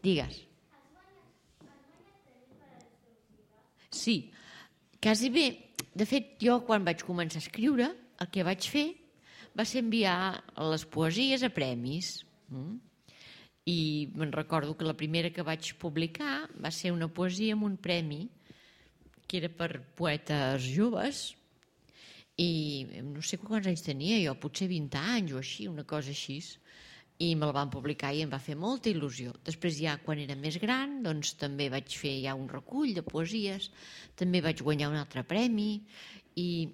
Digues. Sí, quasi bé. De fet, jo quan vaig començar a escriure, el que vaig fer va ser enviar les poesies a premis. I me'n recordo que la primera que vaig publicar va ser una poesia amb un premi que era per poetes joves, i no sé quants anys tenia jo, potser 20 anys o així, una cosa així, i me la van publicar i em va fer molta il·lusió. Després ja quan era més gran doncs també vaig fer ja un recull de poesies, també vaig guanyar un altre premi, i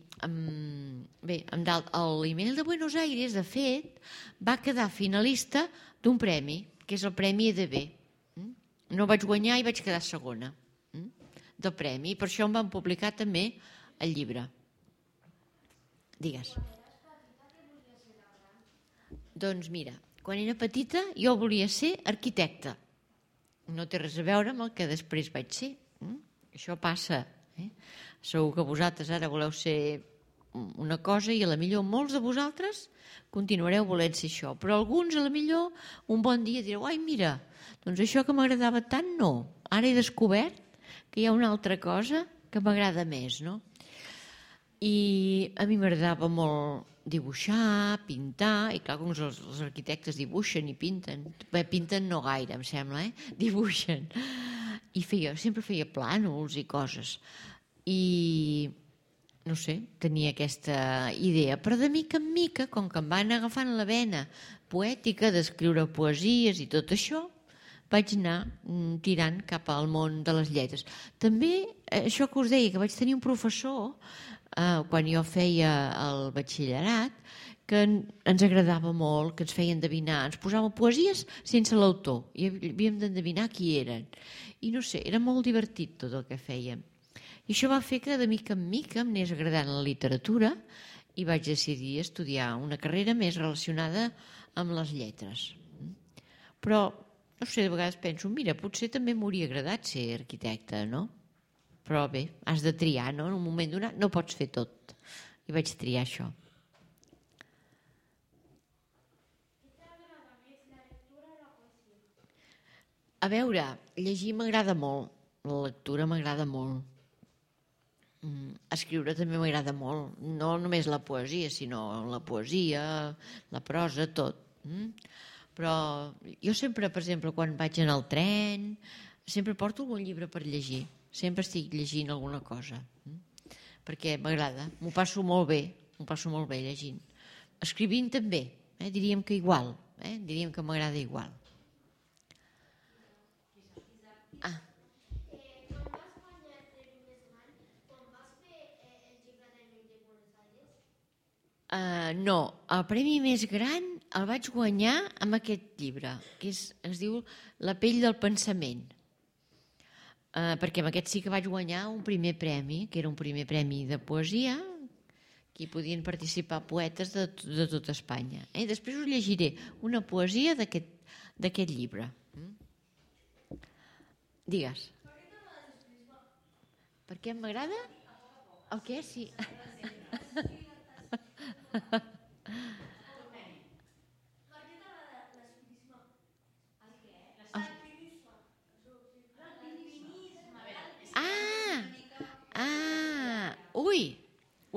bé, l'Email de Buenos Aires de fet va quedar finalista d'un premi, que és el Premi EDB. No vaig guanyar i vaig quedar segona del premi, i per això em van publicar també el llibre. Digues. Doncs mira, quan era petita jo volia ser arquitecta. No té res a veure amb el que després vaig ser. Això passa. Segur que vosaltres ara voleu ser una cosa i a la millor molts de vosaltres continuareu volent ser això. Però alguns a la millor un bon dia direu: ai, mira, doncs això que m'agradava tant no. Ara he descobert que hi ha una altra cosa que m'agrada més, no? I a mi m'agradava molt dibuixar, pintar, i clar, com els arquitectes dibuixen i pinten. Bé, pinten no gaire, em sembla, dibuixen. I sempre feia plànols i coses. I no sé, tenia aquesta idea, però de mica en mica, com que em van agafant la vena poètica d'escriure poesies i tot això, vaig anar tirant cap al món de les lletres. També, això que us deia, que vaig tenir un professor quan jo feia el batxillerat, que ens agradava molt, que ens feia endevinar, ens posava poesies sense l'autor i havíem d'endevinar qui eren. I no sé, era molt divertit tot el que fèiem. I això va fer que de mica en mica em anés agradant la literatura i vaig decidir estudiar una carrera més relacionada amb les lletres. Però, no sé, de vegades penso, mira, potser també m'hauria agradat ser arquitecta, no? Però bé, has de triar, no? En un moment donat no pots fer tot. I vaig triar això. A veure, llegir m'agrada molt. La lectura m'agrada molt. Escriure també m'agrada molt. No només la poesia, sinó la poesia, la prosa, tot. Però jo sempre, per exemple, quan vaig en el tren, sempre porto algun llibre per llegir. Sempre estic llegint alguna cosa. Perquè m'agrada. M'ho passo molt bé llegint. Escrivint també, diríem que igual. Diríem que m'agrada igual. No, el premi més gran el vaig guanyar amb aquest llibre, que es diu La pell del pensament, perquè amb aquest sí que vaig guanyar un primer premi, que era un primer premi de poesia, que hi podien participar poetes de tot Espanya. Després us llegiré una poesia d'aquest llibre. Digues. Per què m'agrada? El què? Sí.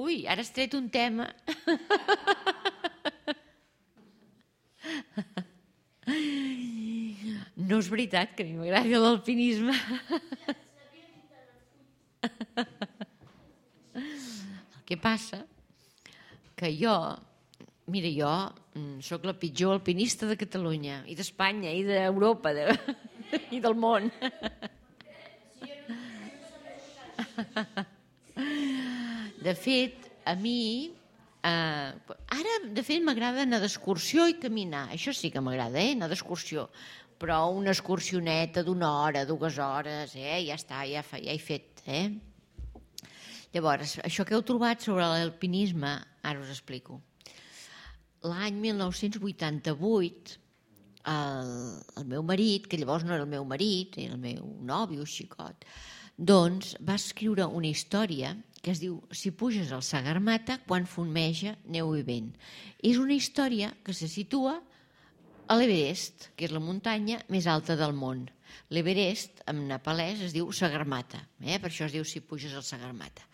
Ui, ara has tret un tema. No és veritat que a mi m'agradi l'alpinisme. El que passa que jo sóc la pitjor alpinista de Catalunya i d'Espanya i d'Europa i del món. De fet, a mi ara de fet m'agrada anar d'excursió i caminar. Això sí que m'agrada, anar d'excursió, però una excursioneta d'una hora, 2 hores, ja està, ja he fet. Llavors, això que heu trobat sobre l'alpinisme, ara us explico. L'any 1988, el meu marit, que llavors no era el meu marit, era el meu nòvio xicot, doncs va escriure una història que es diu Si puges al Sagarmata quan fumeja neu i vent. És una història que se situa a l'Everest, que és la muntanya més alta del món. L'Everest, en nepalès, es diu Sagarmatha, per això es diu si puges al Sagarmatha.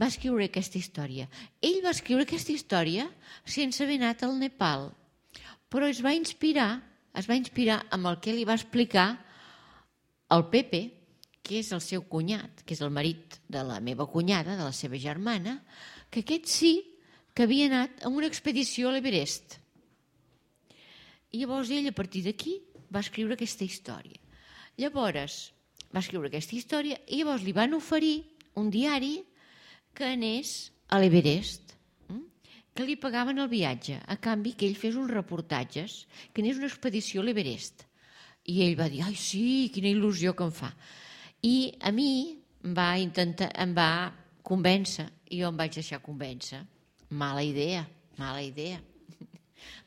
Va escriure aquesta història. Ell va escriure aquesta història sense haver anat al Nepal, però es va inspirar amb el que li va explicar el Pepe, que és el seu cunyat, que és el marit de la meva cunyada, de la seva germana, que aquest sí que havia anat a una expedició a l'Everest. I llavors ell, a partir d'aquí, va escriure aquesta història. Llavors, va escriure aquesta història i llavors li van oferir un diari que anés a l'Everest, que li pagaven el viatge, a canvi que ell fes uns reportatges, que anés una expedició a l'Everest. I ell va dir, ai sí, quina il·lusió que em fa. I a mi em va convèncer, i jo em vaig deixar convèncer. Mala idea,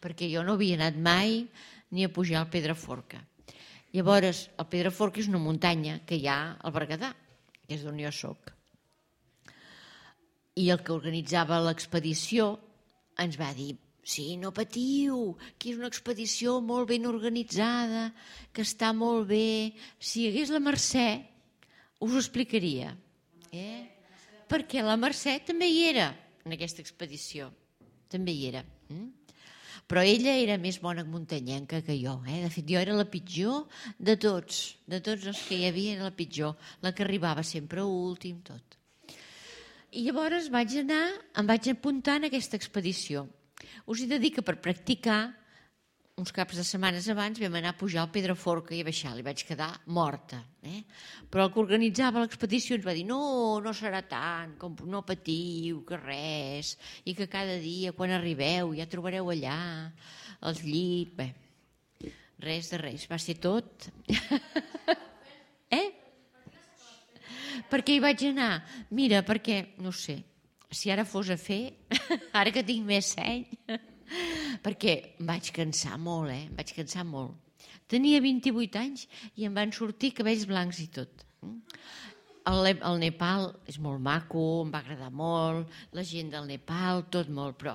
perquè jo no havia anat mai ni a pujar al Pedraforca. Llavors, el Pedraforca és una muntanya que hi ha al Berguedà, que és d'on jo soc. I el que organitzava l'expedició ens va dir, sí, no patiu, que és una expedició molt ben organitzada, que està molt bé. Si hi hagués la Mercè, us ho explicaria. Perquè la Mercè també hi era en aquesta expedició. També hi era. Però ella era més bona muntanyenca que jo. De fet, jo era la pitjor de tots. De tots els que hi havia era la pitjor. La que arribava sempre últim, tot. I llavors em vaig apuntar en aquesta expedició. Us he de dir que per practicar, uns caps de setmanes abans vam anar a pujar al Pedraforca i a baixar. Li vaig quedar morta. Però el que organitzava l'expedició ens va dir no serà tant, com no patiu, que res, i que cada dia quan arribeu ja trobareu allà els llits. Bé, res de res, va ser tot. Perquè hi vaig anar? Mira, perquè, no sé, si ara fos a fer, ara que tinc més seny, perquè em vaig cansar molt, em vaig cansar molt. Tenia 28 anys i em van sortir cabells blancs i tot. El Nepal és molt maco, em va agradar molt, la gent del Nepal, tot molt, però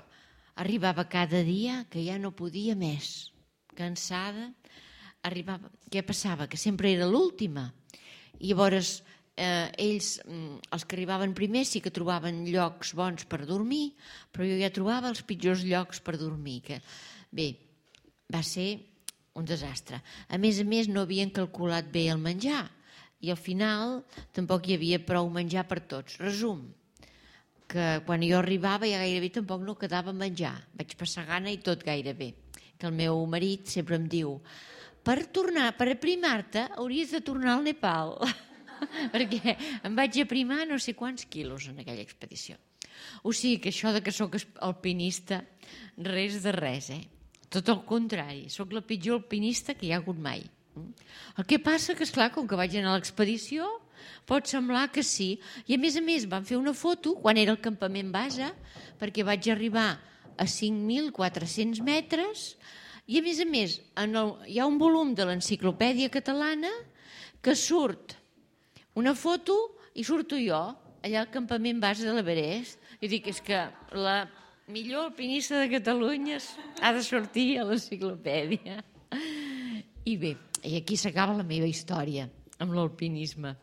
arribava cada dia que ja no podia més. Cansada, arribava... Què passava? Que sempre era l'última. I llavors ells, els que arribaven primer, sí que trobaven llocs bons per dormir, però jo ja trobava els pitjors llocs per dormir. Bé, va ser un desastre. A més, no havien calculat bé el menjar i al final tampoc hi havia prou menjar per tots. Resum, que quan jo arribava ja gairebé tampoc no quedava menjar. Vaig passar gana i tot gairebé. Que el meu marit sempre em diu per aprimar-te hauries de tornar al Nepal. Perquè em vaig aprimar no sé quants quilos en aquella expedició. O sigui que això de que sóc alpinista, res de res, Tot el contrari, sóc la pitjor alpinista que hi ha hagut mai. El que passa que, esclar, com que vaig anar a l'expedició, pot semblar que sí. I a més, van fer una foto quan era el campament base, perquè vaig arribar a 5.400 metres i, a més, hi ha un volum de l'Enciclopèdia Catalana que surt una foto i surto jo allà al campament base de l'Everest. I dic, és que la millor alpinista de Catalunya ha de sortir a l'enciclopèdia. I bé, i aquí s'acaba la meva història amb l'alpinisme.